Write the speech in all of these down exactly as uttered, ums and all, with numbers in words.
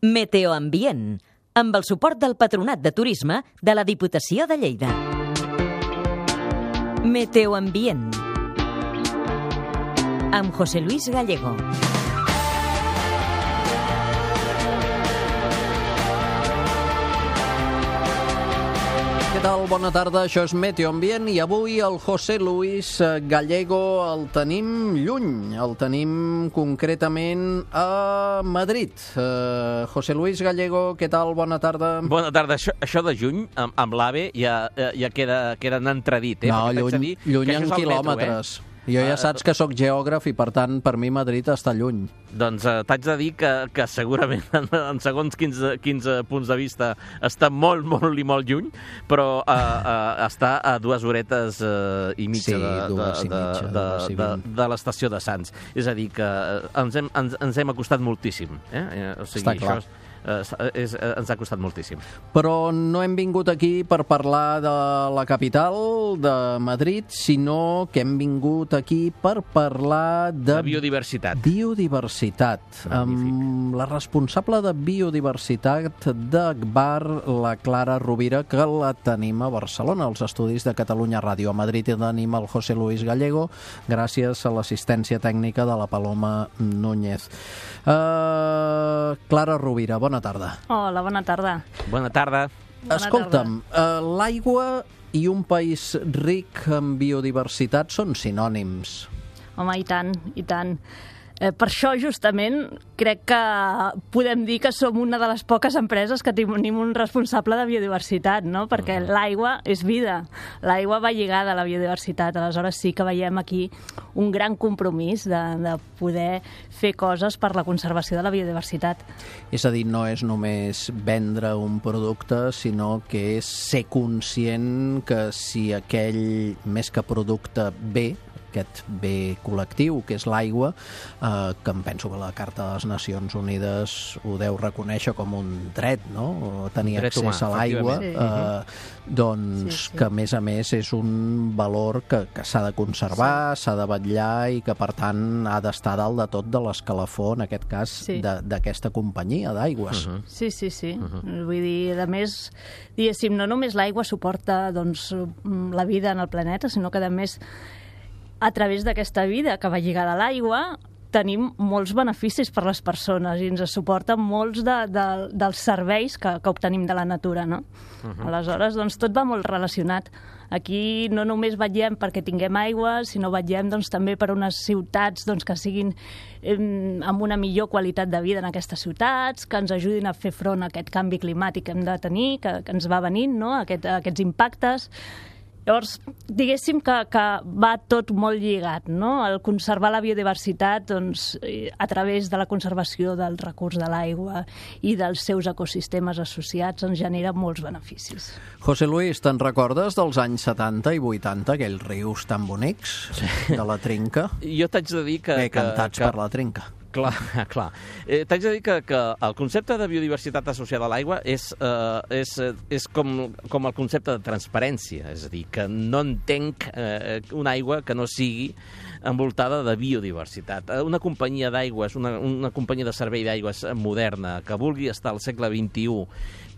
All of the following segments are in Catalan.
Meteoambient, amb el suport del Patronat de Turisme de la Diputació de Lleida. Meteoambient, amb José Luis Gallego. Què tal? Bona tarda, això és Meteoambient i avui el José Luis Gallego el tenim lluny, el tenim concretament a Madrid. Uh, José Luis Gallego, què tal? Bona tarda. Bona tarda. Això, això de juny, amb, amb l'AVE, ja, ja queda, queda en entredit. Eh? No, lluny, lluny en quilòmetres. Metro, eh? Jo ja saps que sóc geògraf i, per tant, per mi Madrid està lluny. Doncs eh, t'haig de dir que, que segurament en, en segons quinze, quinze punts de vista està molt, molt i molt lluny, però eh, eh, està a dues horetes eh, i mitja, sí, de, dues de, i mitja de, de, de, de l'estació de Sants. És a dir, que ens hem, ens, ens hem acostat moltíssim. Eh? O sigui, està clar. Això és, és, ens ha costat moltíssim. Però no hem vingut aquí per parlar de la capital, de Madrid, sinó que hem vingut aquí per parlar de... De biodiversitat. Biodiversitat. Amb la responsable de biodiversitat d'Agbar, la Clara Rovira, que la tenim a Barcelona, als estudis de Catalunya Ràdio. A Madrid tenim el José Luis Gallego, gràcies a l'assistència tècnica de la Paloma Núñez. Uh, Clara Rovira, bona tarda. Hola, bona tarda. Bona tarda. Bona Escolta'm, uh, l'aigua i un país ric en biodiversitat són sinònims. Home, i tant, i tant. Eh, per això, justament, crec que podem dir que som una de les poques empreses que tenim un responsable de biodiversitat, no? Perquè uh-huh. l'aigua és vida. L'aigua va lligada a la biodiversitat. Aleshores sí que veiem aquí un gran compromís de, de poder fer coses per la conservació de la biodiversitat. És a dir, no és només vendre un producte, sinó que és ser conscient que si aquell, més que producte, bé, aquest bé col·lectiu, que és l'aigua, eh, que em penso que la Carta de les Nacions Unides ho deu reconèixer com un dret, no? Tenir dret accés humà, a l'aigua, sí. eh, doncs sí, sí. que a més a més és un valor que, que s'ha de conservar, s'ha sí. de vetllar i que per tant ha d'estar dalt de tot de l'escalafó, en aquest cas, sí. d'aquesta companyia d'aigües. Uh-huh. Sí, sí, sí. Uh-huh. Vull dir, a més, diguéssim, no només l'aigua suporta doncs, la vida en el planeta, sinó que a més a través d'aquesta vida que va lligada a l'aigua tenim molts beneficis per les persones i ens suporta molts de, de, dels serveis que, que obtenim de la natura, no? Uh-huh. Aleshores, doncs, tot va molt relacionat. Aquí no només vetllem perquè tinguem aigua, sinó vetllem doncs, també per unes ciutats doncs, que siguin eh, amb una millor qualitat de vida en aquestes ciutats, que ens ajudin a fer front a aquest canvi climàtic que hem de tenir, que, que ens va venint, no? Aquest, aquests impactes. Llavors, diguéssim que, que va tot molt lligat, no? El conservar la biodiversitat doncs, a través de la conservació del recurs de l'aigua i dels seus ecosistemes associats ens genera molts beneficis. José Luis, te'n recordes dels anys setanta i vuitanta, aquells rius tan bonics sí. de la Trinca? Jo t'haig de dir que... Bé, cantats que, que... per la Trinca. Clar, clar. Eh, T'haig de dir que, que el concepte de biodiversitat associada a l'aigua és, eh, és, és com, com el concepte de transparència, és a dir, que no entenc eh, una aigua que no sigui envoltada de biodiversitat. Una companyia d'aigües, una, una companyia de servei d'aigües moderna, que vulgui estar al segle vint-i-u,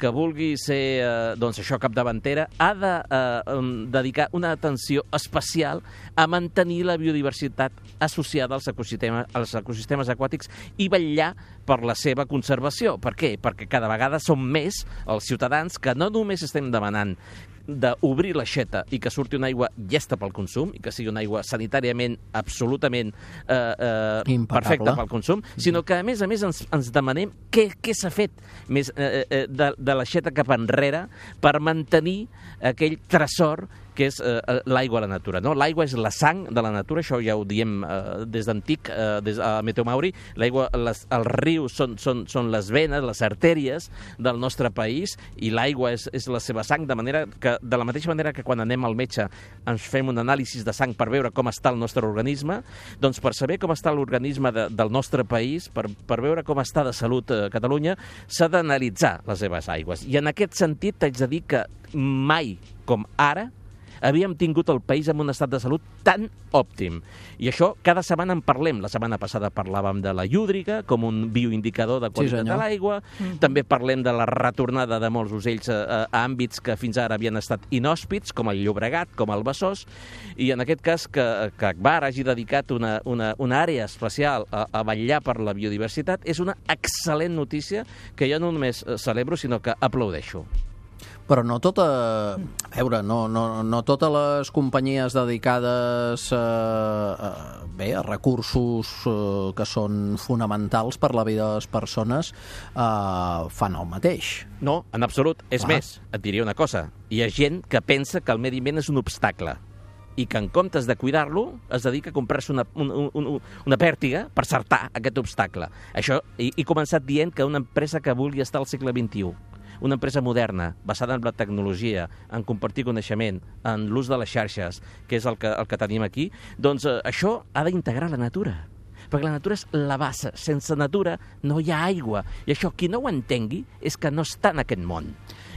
que vulgui ser, eh, doncs això, capdavantera, ha de eh, dedicar una atenció especial a mantenir la biodiversitat associada als ecosistemes, als ecosistemes aquàtics i vetllar per la seva conservació. Per què? Perquè cada vegada som més els ciutadans que no només estem demanant d'obrir l'aixeta i que surti una aigua llesta pel consum i que sigui una aigua sanitàriament absolutament eh, eh, perfecta pel consum, sinó que a més a més ens, ens demanem què, què s'ha fet més, eh, eh, de, de l'aixeta cap enrere per mantenir aquell tresor que és eh, l'aigua a la natura. No? L'aigua és la sang de la natura, això ja ho diem eh, des d'antic, eh, des a Meteo Mauri. L'aigua, les, els rius són, són, són les venes, les artèries del nostre país i l'aigua és, és la seva sang, de manera que, de la mateixa manera que quan anem al metge ens fem un anàlisi de sang per veure com està el nostre organisme, doncs per saber com està l'organisme de, del nostre país, per, per veure com està de salut a Catalunya, s'ha d'analitzar les seves aigües. I en aquest sentit t'haig de dir que mai com ara havíem tingut el país en un estat de salut tan òptim. I això cada setmana en parlem. La setmana passada parlàvem de la llúdriga com un bioindicador de qualitat Sí, de l'aigua. Mm. També parlem de la retornada de molts ocells a, a àmbits que fins ara havien estat inhòspits, com el Llobregat, com el Besòs, i en aquest cas que, que Agbar hagi dedicat una, una, una àrea especial a, a vetllar per la biodiversitat és una excel·lent notícia que jo no només celebro, sinó que aplaudeixo. Però no tota... A veure, no, no, no totes les companyies dedicades a, a, bé, a recursos eh, que són fonamentals per la vida de les persones eh, fan el mateix. No, en absolut. És Clar. més, et diria una cosa. Hi ha gent que pensa que el medi ambient és un obstacle i que en comptes de cuidar-lo es dedica a comprar-se una, una, una, una pèrtiga per cercar aquest obstacle. Això, he, he començat dient que una empresa que vulgui estar al segle vint-i-u, una empresa moderna, basada en la tecnologia, en compartir coneixement, en l'ús de les xarxes, que és el que, el que tenim aquí, doncs eh, això ha d'integrar la natura. Perquè la natura és la base. Sense natura no hi ha aigua. I això, qui no ho entengui, és que no està en aquest món.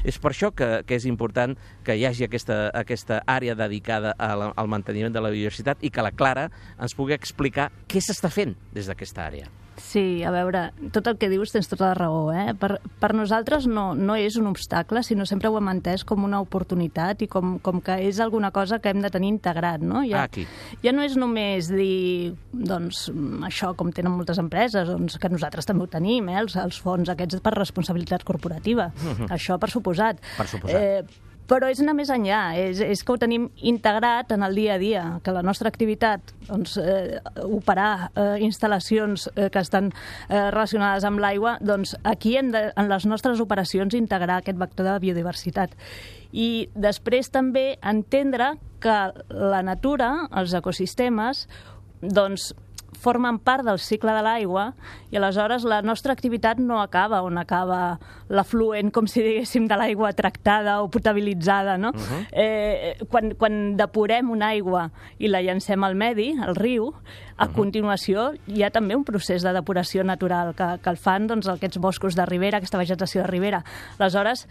És per això que, que és important que hi hagi aquesta, aquesta àrea dedicada a la, al manteniment de la biodiversitat i que la Clara ens pugui explicar què s'està fent des d'aquesta àrea. Sí, a veure, tot el que dius tens tota la raó, eh? Per, per nosaltres no, no és un obstacle, sinó sempre ho hem entès com una oportunitat i com, com que és alguna cosa que hem de tenir integrat, no? Ja, Ah, aquí. ja no és només dir, doncs, això com tenen moltes empreses, doncs, que nosaltres també ho tenim, eh? Els, els fons aquests per responsabilitat corporativa. Mm-hmm. Això per suposat. Per suposat. Eh, Però és anar més enllà, és, és que ho tenim integrat en el dia a dia, que la nostra activitat, doncs, eh, operar eh, instal·lacions eh, que estan eh, relacionades amb l'aigua, doncs aquí hem de, en les nostres operacions, integrar aquest vector de biodiversitat. I després també entendre que la natura, els ecosistemes, doncs, formen part del cicle de l'aigua i aleshores la nostra activitat no acaba on acaba l'afluent, com si diguéssim, de l'aigua tractada o potabilitzada, no? Uh-huh. eh, quan, quan depurem una aigua i la llancem al medi, al riu, a uh-huh. continuació hi ha també un procés de depuració natural que, que el fan doncs, aquests boscos de ribera, aquesta vegetació de ribera. Aleshores,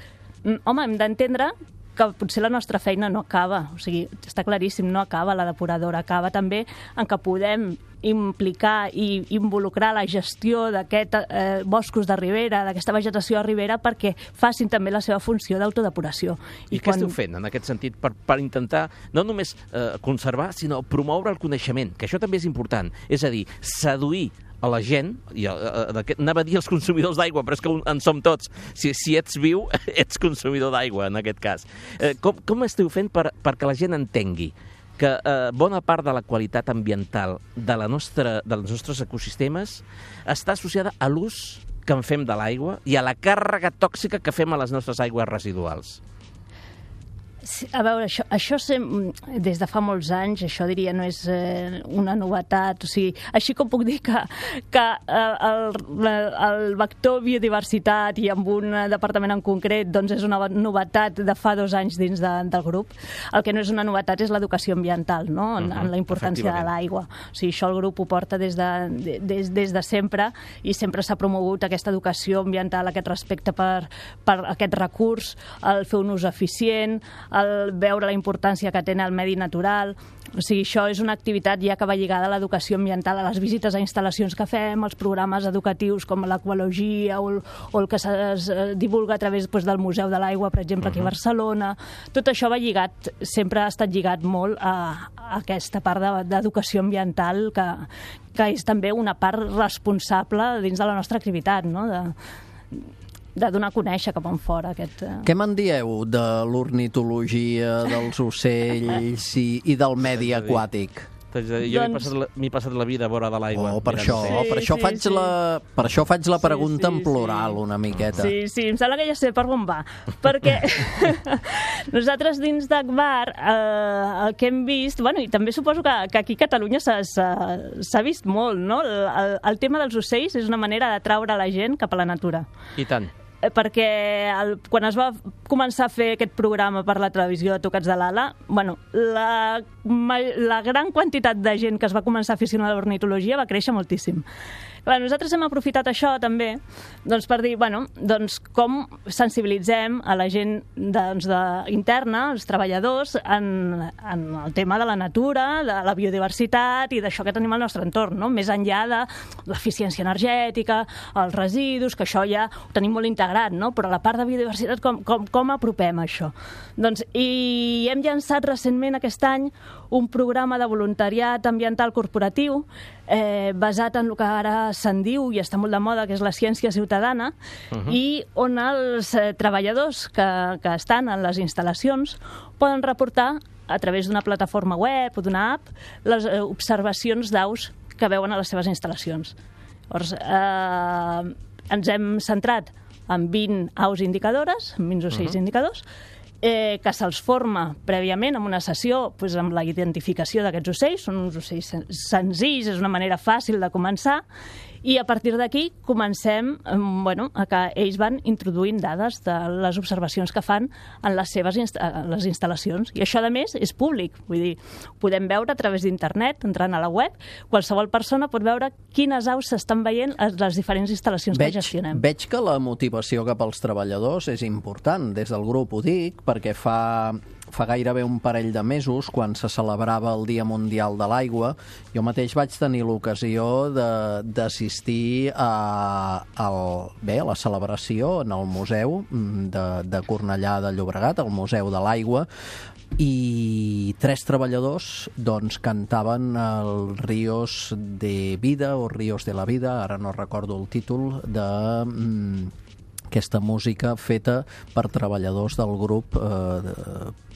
home, hem d'entendre que potser la nostra feina no acaba, o sigui, està claríssim, no acaba la depuradora, acaba també en que podem implicar i involucrar la gestió d'aquests eh, boscos de ribera, d'aquesta vegetació de ribera, perquè facin també la seva funció d'autodepuració. I, I què quan... esteu fent en aquest sentit per, per intentar no només eh, conservar, sinó promoure el coneixement, que això també és important, és a dir, seduir a la gent, i a, a, a, anava a dir els consumidors d'aigua, però és que en som tots. Si, si ets viu, ets consumidor d'aigua, en aquest cas. Eh, com, com esteu fent per, perquè la gent entengui que eh, bona part de la qualitat ambiental de la nostra, dels nostres ecosistemes està associada a l'ús que en fem de l'aigua i a la càrrega tòxica que fem a les nostres aigües residuals? Sí, a veure, això, això sem... des de fa molts anys, això diria no és eh, una novetat, o sigui, així com puc dir que, que eh, el, el vector biodiversitat i amb un departament en concret doncs és una novetat de fa dos anys dins de, del grup, el que no és una novetat és l'educació ambiental, no? En, uh-huh, en la importància de l'aigua. O sigui, això el grup ho porta des de, des, des de sempre i sempre s'ha promogut aquesta educació ambiental, aquest respecte per, per aquest recurs, el fer un ús eficient, el veure la importància que té el medi natural. O sigui, això és una activitat ja que va lligada a l'educació ambiental, a les visites a instal·lacions que fem, als programes educatius com l'equologia o, el, o el que es divulga a través doncs, del Museu de l'Aigua, per exemple, aquí a Barcelona. Tot això va lligat, sempre ha estat lligat molt a, a aquesta part d'educació ambiental que, que és també una part responsable dins de la nostra activitat, no? De, de donar a conèixer cap enfora aquest... Què me'n dieu de l'ornitologia, dels ocells i, i del medi aquàtic? Jo m'he doncs... passat, la, passat la vida a vora de l'aigua. Oh, per això, sí, per, això sí, faig sí. La, per això faig la pregunta sí, sí, en plural sí. una miqueta. Sí, sí, em sembla que ja sé per on va. Perquè nosaltres dins d'Agbar eh, el que hem vist, bueno, i també suposo que, que aquí a Catalunya s'ha vist molt, no? El, el, el tema dels ocells és una manera d'atraure la gent cap a la natura. I tant. Perquè el, quan es va començar a fer aquest programa per la televisió de Tocats de l'Ala, bueno, la, la gran quantitat de gent que es va començar a aficionar a l'ornitologia va créixer moltíssim. Clar, nosaltres hem aprofitat això també doncs, per dir, bueno, doncs, com sensibilitzem a la gent doncs, de, interna, els treballadors, en, en el tema de la natura, de la biodiversitat i d'això que tenim al nostre entorn, no? Més enllà de l'eficiència energètica, els residus, que això ja ho tenim molt integrat, no? Però la part de biodiversitat, com, com, com apropem això? Doncs, i hem llançat recentment aquest any un programa de voluntariat ambiental corporatiu eh, basat en el que ara se'n diu i està molt de moda, que és la ciència ciutadana, uh-huh. i on els eh, treballadors que, que estan en les instal·lacions poden reportar a través d'una plataforma web o d'una app les eh, observacions d'aus que veuen a les seves instal·lacions. Llavors, eh, ens hem centrat en vint aus indicadores, en vint ocells uh-huh. indicadors, eh, que se'ls forma prèviament en una sessió doncs, amb la identificació d'aquests ocells. Són uns ocells senzills, és una manera fàcil de començar, i a partir d'aquí comencem bueno, a que ells van introduint dades de les observacions que fan en les seves inst les instal·lacions. I això, a més, és públic. Vull dir, ho podem veure a través d'internet, entrant a la web. Qualsevol persona pot veure quines aus s'estan veient a les diferents instal·lacions veig, que gestionem. Veig que la motivació cap als treballadors és important. Des del grup ho dic, perquè fa... Fa gairebé un parell de mesos, quan se celebrava el Dia Mundial de l'Aigua, jo mateix vaig tenir l'ocasió d'assistir a, a, bé, a la celebració en el Museu de, de Cornellà de Llobregat, el Museu de l'Aigua, i tres treballadors doncs, cantaven el Ríos de Vida o Ríos de la Vida, ara no recordo el títol, de... Mm, aquesta música feta per treballadors del grup eh,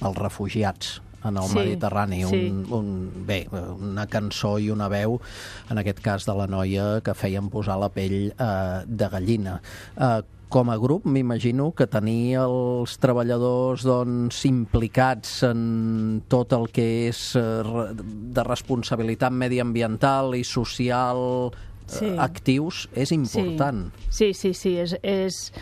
els refugiats en el sí, Mediterrani. Sí. Un, un, bé, una cançó i una veu, en aquest cas de la noia, que feien posar la pell eh, de gallina. Eh, com a grup, m'imagino que tenir els treballadors doncs, implicats en tot el que és eh, de responsabilitat mediambiental i social... Sí. actius, és important. Sí, sí, sí, sí. És, és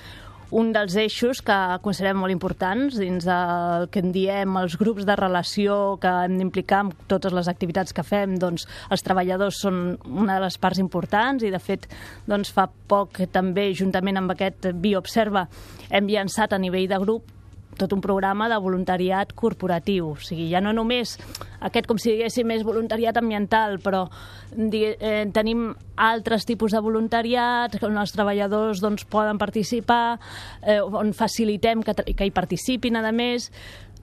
un dels eixos que considerem molt importants dins del que en diem els grups de relació que hem d'implicar en totes les activitats que fem. Doncs els treballadors són una de les parts importants i, de fet, doncs, fa poc també, juntament amb aquest BioObserva, hem llançat a nivell de grup tot un programa de voluntariat corporatiu. O sigui, ja no només aquest, com si diguéssim, és voluntariat ambiental, però eh, tenim altres tipus de voluntariat on els treballadors doncs, poden participar, eh, on facilitem que, que hi participin, a més.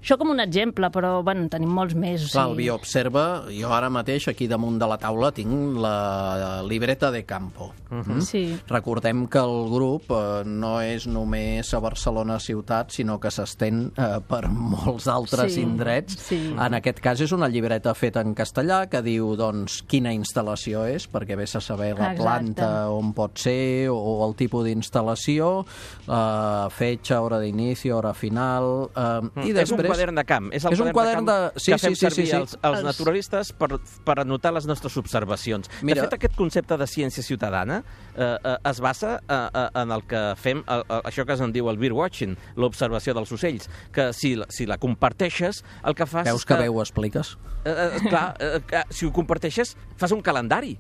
Això com un exemple, però bueno, tenim molts més. O sigui... Clar, el BioObserva, jo ara mateix aquí damunt de la taula tinc la libreta de campo. Uh-huh. Sí. Recordem que el grup eh, no és només a Barcelona ciutat, sinó que s'estén eh, per molts altres sí. indrets. Sí. En aquest cas és una llibreta feta en castellà que diu doncs, quina instal·lació és, perquè vés a saber la Exacte. Planta on pot ser o, o el tipus d'instal·lació, eh, fetge, hora d'inici, hora final... Eh, mm. i després quadern de camp. És el és un quadern de, camp de... Sí, que fem sí, sí, servir sí, sí. els, els naturalistes per, per anotar les nostres observacions. Mira... De fet, aquest concepte de ciència ciutadana eh, eh, es basa eh, en el que fem, eh, això que es diu el birdwatching, l'observació dels ocells, que si, si la comparteixes, el que fas... Veus que, que bé ho expliques? Eh, eh, clar, eh, si ho comparteixes, fas un calendari.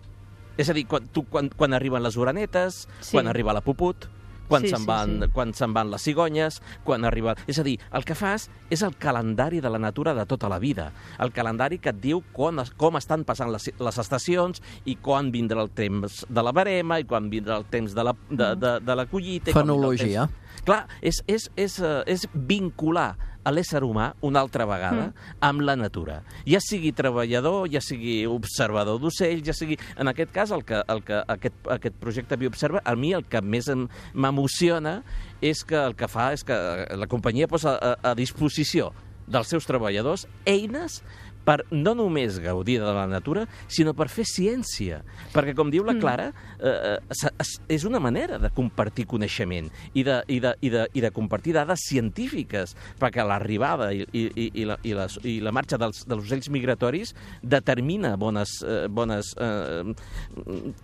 És a dir, quan, tu, quan, quan arriben les oranetes, sí. quan arriba la puput, quan sí, se'n van, sí, sí. quan se'n van les cigonyes, quan arriba... És a dir, el que fas és el calendari de la natura de tota la vida. El calendari que et diu com, com estan passant les, les estacions i quan vindrà el temps de la verema i quan vindrà el temps de la, de, de, de la collita... Fenologia. Clar, és, és, és, és vincular a l'ésser humà una altra vegada mm. amb la natura. Ja sigui treballador, ja sigui observador d'ocells, ja sigui... En aquest cas, el que, el que, aquest, aquest projecte BioObserva, a mi el que més m'emociona és que el que fa és que la companyia posa a, a disposició dels seus treballadors eines per no només gaudir de la natura, sinó per fer ciència. Perquè, com diu la Clara, eh, és una manera de compartir coneixement i de, i de, i de, i de compartir dades científiques, perquè l'arribada i, i, i, la, i, la, i la marxa dels, dels ocells migratoris determina bones, eh, bones eh,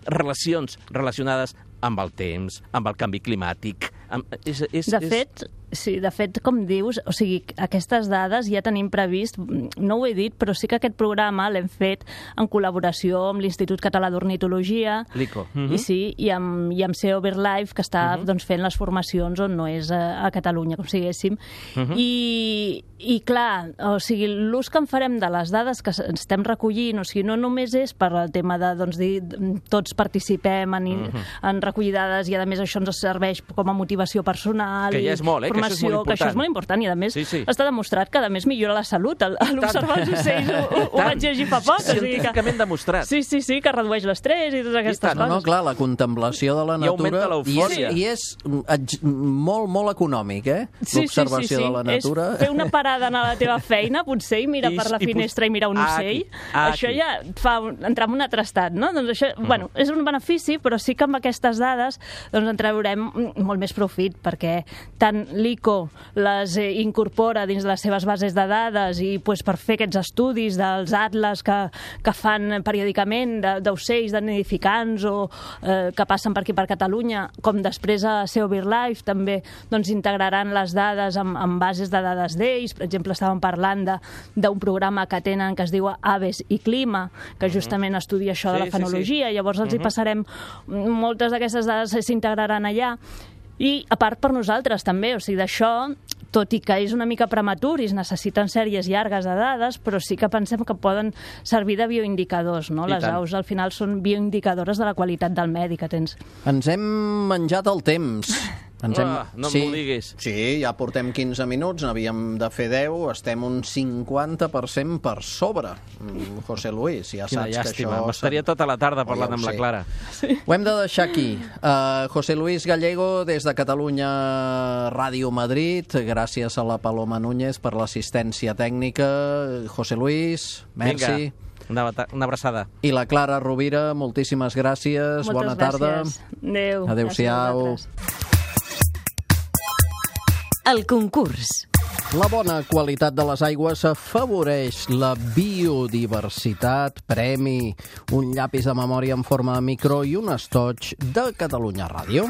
relacions relacionades amb el temps, amb el canvi climàtic. Amb... És, és, de és... fet, sí, de fet, com dius, o sigui, aquestes dades ja tenim previst, no ho he dit, però sí que aquest programa l'hem fet en col·laboració amb l'Institut Català d'Ornitologia, l'I C O. Uh -huh. i sí, i amb, i amb C E O BirdLife, que està uh -huh. doncs, fent les formacions on no és a, a Catalunya, com si diguéssim. Uh -huh. I, I clar, o sigui, l'ús que en farem de les dades que estem recollint, o sigui, no només és per al tema de, doncs, dir, tots participem en, uh -huh. en recollir dades i, a més, això ens serveix com a motivació personal que ja és molt, eh? formació, que això és molt important. Que això és molt important i, a més, sí, sí. està demostrat que, a més, millora la salut. L'observar els ocells ho, ho, ho vaig llegir fa poc. Científicament que... demostrat. Sí, sí, sí, que redueix l'estrès i totes aquestes coses. No, no, clar, la contemplació de la natura... I augmenta l'eufòria. I és, i és molt, molt econòmic, eh? Sí, l'observació sí, sí, sí. de la natura. És fer una parada a la teva feina, potser, i mirar I, per la i finestra i mirar un ah, ocell. Aquí, ah, això aquí. ja et fa entrar en un altre estat, no? Doncs això, mm. bueno, és un benefici, però sí que amb aquestes dades doncs, en traurem molt més profit, perquè tant l'I C O les eh, incorpora dins de les seves bases de dades i pues, per fer aquests estudis dels atles que, que fan periòdicament d'ocells, de, nidificants o eh, que passen per aquí per Catalunya, com després a C E O BirdLife també doncs, integraran les dades amb, amb bases de dades d'ells. Per exemple, estàvem parlant d'un programa que tenen que es diu Aves i Clima, que justament estudia això de sí, la fenologia. Sí, sí. Llavors els uh-huh. hi passarem, moltes d'aquestes dades s'integraran allà. I, a part, per nosaltres, també. O sigui, d'això, tot i que és una mica prematur i es necessiten sèries llargues de dades, però sí que pensem que poden servir de bioindicadors, no? I Les tant. aus, al final, són bioindicadores de la qualitat del medi que tens. Ens hem menjat el temps. Ens hem... Ah, no sí, m'ho diguis. Sí, ja portem quinze minuts, n'havíem de fer deu, estem un cinquanta per cent per sobre. Mm, José Luis, ja Quina saps llàstima. que això... M'estaria tota la tarda parlant Oh, ja amb la sé. Clara. Sí. Ho hem de deixar aquí. Uh, José Luis Gallego, des de Catalunya Ràdio Madrid. Gràcies a la Paloma Núñez per l'assistència tècnica. José Luis, merci. Vinga, una, una abraçada. I la Clara Rovira, moltíssimes gràcies. Moltes Bona tarda. gràcies. Adéu. Adéu-siau. Gràcies a vosaltres. El concurs. La bona qualitat de les aigües afavoreix la biodiversitat. Premi, un llapis de memòria en forma de micro i un estoig de Catalunya Ràdio.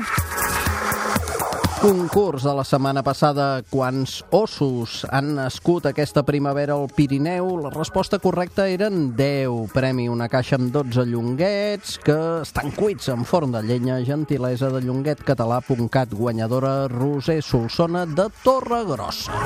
Concurs de la setmana passada. Quants ossos han nascut aquesta primavera al Pirineu? La resposta correcta eren deu. Premi, una caixa amb dotze llonguets que estan cuits en forn de llenya. Gentilesa de llonguet català punt cat. Guanyadora Roser Solsona de Torregrossa.